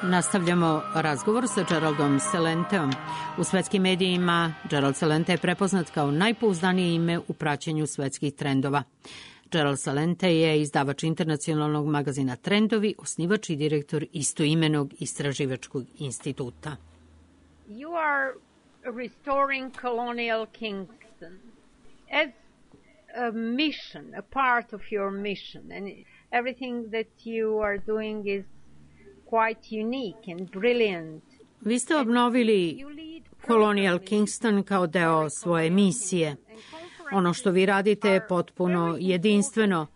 Nastavljamo razgovor sa Geraldom Celenteom. U svetskim medijima Gerald Celente je prepoznat kao najpouzdanije ime u praćenju svetskih trendova. Gerald Celente je izdavač internacionalnog magazina Trendovi, osnivač i direktor istoimenog istraživačkog instituta. You are restoring colonial Kingston. As a mission, a part of your mission, and everything that you are doing is quite unique and brilliant. Vi ste obnovili Colonial Kingston kao deo svoje misije. Ono što vi radite je potpuno jedinstveno.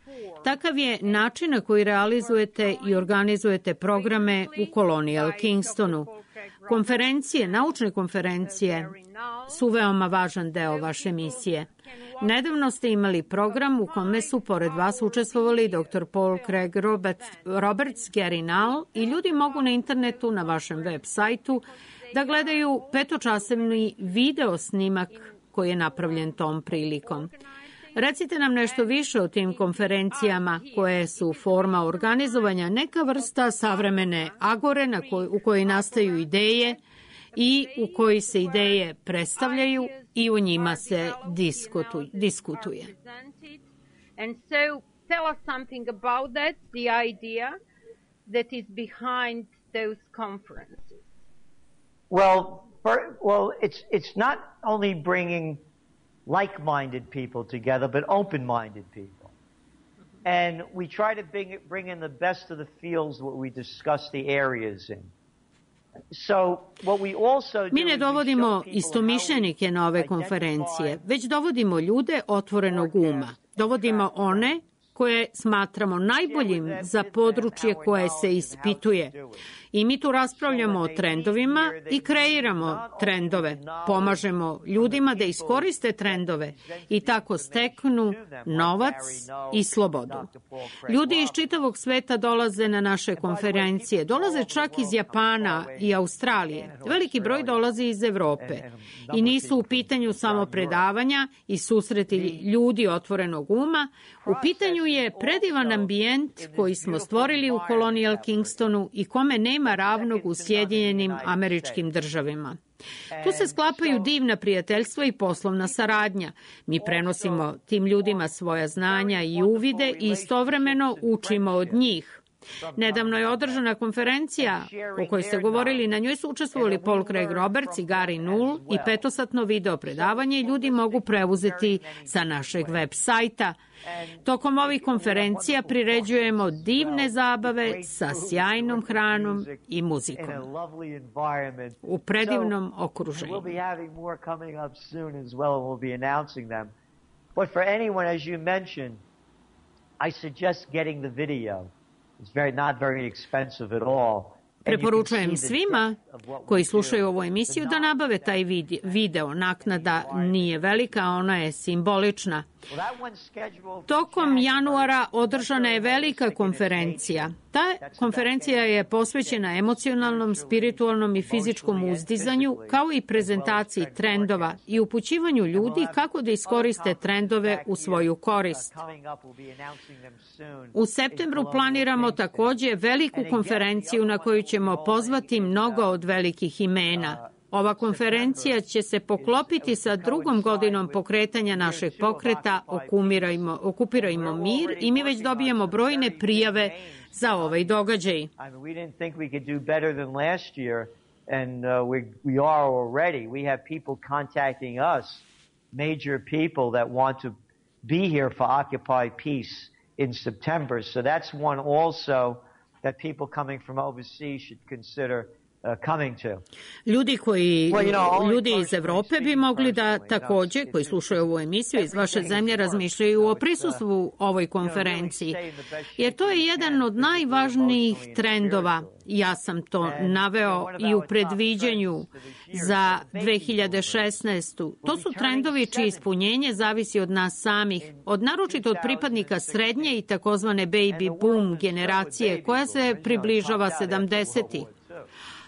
Takav je način na koji realizujete i organizujete programe u Colonial Kingstonu. Konferencije, naučne konferencije su veoma važan deo vaše misije. Nedavno ste imali program u kome su pored vas učestvovali dr. Paul Craig Roberts, Gary Null i ljudi mogu na internetu na vašem web sajtu da gledaju petočasovni video snimak koji je napravljen tom prilikom. Recite nam nešto više o tim konferencijama koje su forma organizovanja, neka vrsta savremene agore u kojoj nastaju ideje i u kojoj se ideje predstavljaju i u njima se diskutuje. And so tell us something about that, the idea that is behind those conferences. Well, it's not only bringing like-minded people together, but open-minded people. And we try to bring in the best of the fields what we discuss the areas in. So, what we also do. Mi ne dovodimo istomišljenike na ove konferencije, već dovodimo ljude otvorenog uma. Dovodimo one koje smatramo najboljim za područje koje se ispituje. I mi tu raspravljamo o trendovima i kreiramo trendove. Pomažemo ljudima da iskoriste trendove i tako steknu novac i slobodu. Ljudi iz čitavog sveta dolaze na naše konferencije. Dolaze čak iz Japana i Australije. Veliki broj dolazi iz Evrope. I nisu u pitanju samo predavanja i susreti ljudi otvorenog uma. U pitanju je predivan ambijent koji smo stvorili u Colonial Kingstonu i kome nema ravnog u Sjedinjenim Američkim Državama. Tu se sklapaju divna prijateljstva i poslovna saradnja. Mi prenosimo tim ljudima svoja znanja i uvide i istovremeno učimo od njih. Nedavno je održana konferencija o kojoj ste govorili, na njoj su učestvovali Paul Craig Roberts i Gary Null i petosatno video predavanje i ljudi mogu preuzeti sa našeg web sajta. Tokom ovih konferencija priređujemo divne zabave sa sjajnom hranom i muzikom u predivnom okruženju. Not very expensive at all. Preporučujem svima koji slušaju ovu emisiju da nabave taj video. Naknada nije velika, ona je simbolična. Tokom januara održana je velika konferencija. Ta konferencija je posvećena emocionalnom, spiritualnom i fizičkom uzdizanju, kao i prezentaciji trendova i upućivanju ljudi kako da iskoriste trendove u svoju korist. U septembru planiramo takođe veliku konferenciju na koju ćemo pozvati mnogo od velikih imena. Ova konferencija će se poklopiti sa drugom godinom pokretanja našeg pokreta Okupirajmo mir i mi već dobijamo brojne prijave za ovaj događaj. Major people that want to be here for Occupy Peace in September. So that's one also that people coming from overseas should consider coming to. Ljudi iz Evrope bi mogli da takođe, koji slušaju ovu emisiju iz vaše zemlje, razmišljaju o prisustvu ovoj konferenciji. Jer to je jedan od najvažnijih trendova. Ja sam to naveo i u predviđanju za 2016. To su trendovi čije ispunjenje zavisi od nas samih, naročito od pripadnika srednje i takozvane baby boom generacije koja se približava 70-ih.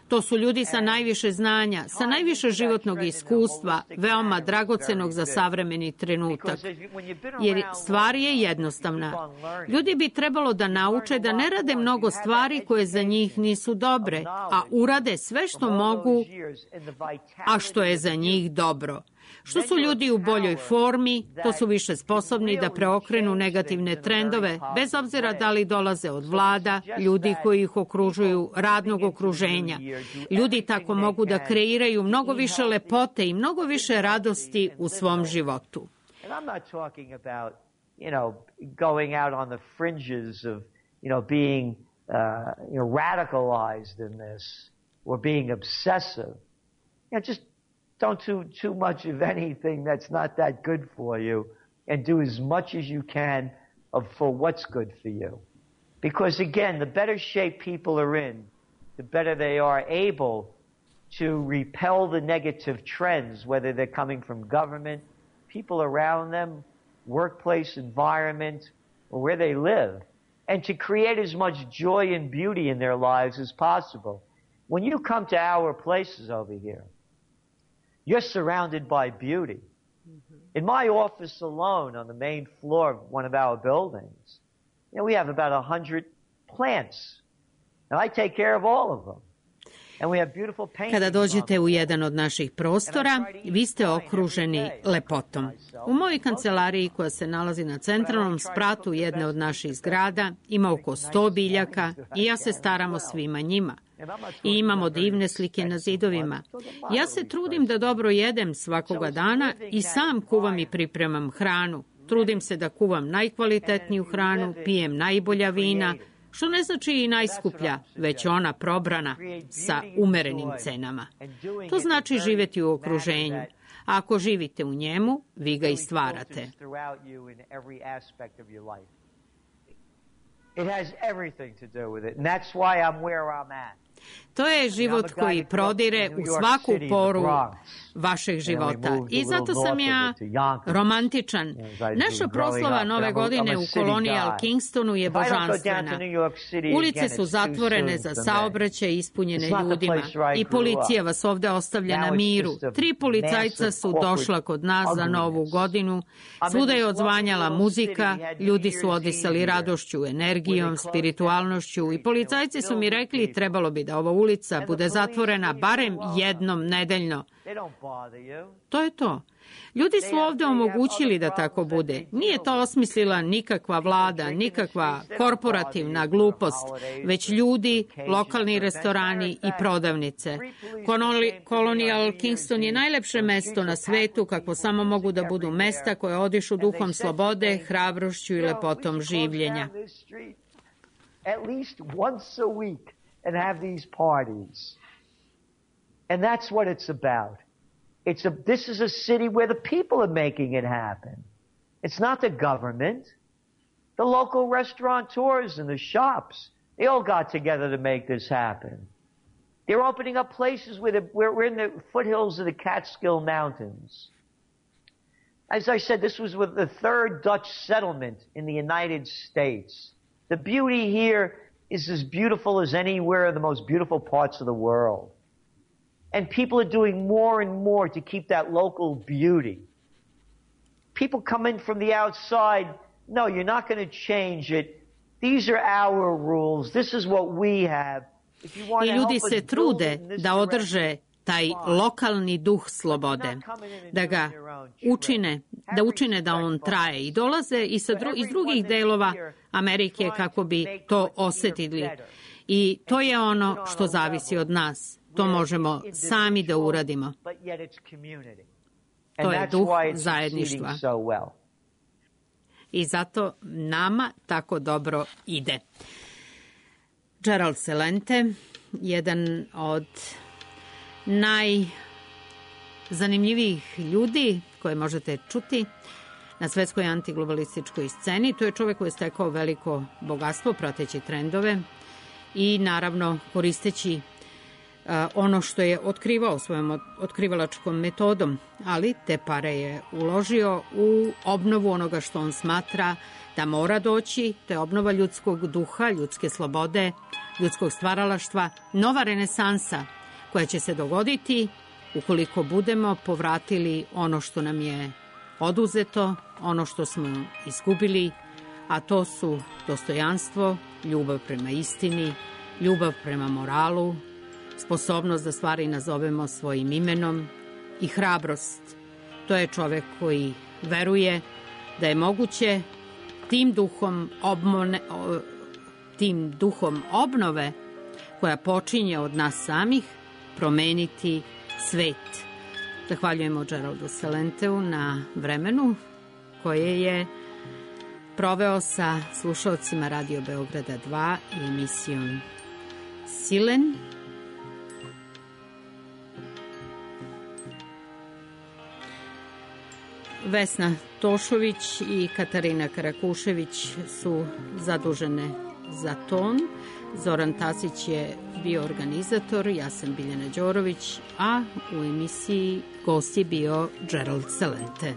To su ljudi sa najviše znanja, sa najviše životnog iskustva, veoma dragocenog za savremeni trenutak. Jer stvar je jednostavna. Ljudi bi trebalo da nauče da ne rade mnogo stvari koje za njih nisu dobre, a urade sve što mogu, a što je za njih dobro. Što su ljudi u boljoj formi, to su više sposobni da preokrenu negativne trendove, bez obzira da li dolaze od vlada, ljudi koji ih okružuju, radnog okruženja. Ljudi tako mogu da kreiraju mnogo više lepote i mnogo više radosti u svom životu. And I'm not talking about, going out on the fringes of, being, radicalized in this or being obsessive. Just don't do too much of anything that's not that good for you, and do as much as you can for what's good for you. Because again, the better shape people are in, the better they are able to repel the negative trends, whether they're coming from government, people around them, workplace environment, or where they live, and to create as much joy and beauty in their lives as possible. When you come to our places over here, you're surrounded by beauty. In my office alone, on the main floor of one of our buildings, we have about 100 plants. And I take care of all of them. And we have beautiful paintings. Kada dođete u jedan od naših prostora, vi ste okruženi lepotom. U mojoj kancelariji, koja se nalazi na centralnom spratu jedne od naših zgrada, ima oko 100 biljaka i ja se staram o svima njima. I imamo divne slike na zidovima. Ja se trudim da dobro jedem svakoga dana i sam kuvam i pripremam hranu. Trudim se da kuvam najkvalitetniju hranu, pijem najbolja vina, što ne znači i najskuplja, već ona probrana sa umerenim cenama. To znači živjeti u okruženju. A ako živite u njemu, vi ga i stvarate. It has everything to do with it, and that's why I'm where I'm at. To je život koji prodire u svaku poru vašeg života. I zato sam ja romantičan. Naša proslava Nove godine u Colonial Kingstonu je božanstvena. Ulice su zatvorene za saobraćaj ispunjene ljudima. I policija vas ovde ostavlja na miru. 3 policajca su došla kod nas za Novu godinu. Svuda je odzvanjala muzika. Ljudi su odisali radošću, energijom, spiritualnošću. I policajci su mi rekli trebalo bi da ova ulica bude zatvorena barem jednom nedeljno. To je to. Ljudi su ovde omogućili da tako bude. Nije to osmislila nikakva vlada, nikakva korporativna glupost, već ljudi, lokalni restorani i prodavnice. Colonial Kingston je najlepše mesto na svetu, kako samo mogu da budu mesta koje odišu duhom slobode, hrabrošću i lepotom življenja. At least once a week and have these parties. And that's what it's about. This is a city where the people are making it happen. It's not the government. The local restaurateurs and the shops, they all got together to make this happen. They're opening up places where we're in the foothills of the Catskill Mountains. As I said, this was with the 3rd Dutch settlement in the United States. The beauty here is as beautiful as anywhere in the most beautiful parts of the world. And people are doing more and more to keep that local beauty. People come in from the outside, no, you're not going to change it. These are our rules. This is what we have. I ljudi se trude da održe taj lokalni duh slobode, da ga učine da on traje. I dolaze iz drugih delova Amerike kako bi to osetili. I to je ono što zavisi od nas. To možemo sami da uradimo. To je duh zajedništva. I zato nama tako dobro ide. Gerald Celente, jedan od najzanimljivijih ljudi koje možete čuti na svetskoj antiglobalističkoj sceni. To je čovjek koji je stekao veliko bogatstvo prateći trendove i naravno koristeći ono što je otkrivao svojom otkrivalačkom metodom, ali te pare je uložio u obnovu onoga što on smatra da mora doći, to je obnova ljudskog duha, ljudske slobode, ljudskog stvaralaštva, nova renesansa koja će se dogoditi ukoliko budemo povratili ono što nam je oduzeto, ono što smo izgubili, a to su dostojanstvo, ljubav prema istini, ljubav prema moralu, sposobnost da stvari nazovemo svojim imenom i hrabrost. To je čovek koji veruje da je moguće tim duhom obnove koja počinje od nas samih promeniti svet. Zahvaljujemo Geraldu Celenteu na vremenu koje je proveo sa slušalcima Radio Beograda 2 i emisijom Silen. Vesna Tošović i Katarina Karakušević su zadužene za ton. Zoran Tasić je bio organizator, ja sam Biljana Đorović, a u emisiji gost je bio Gerald Celente.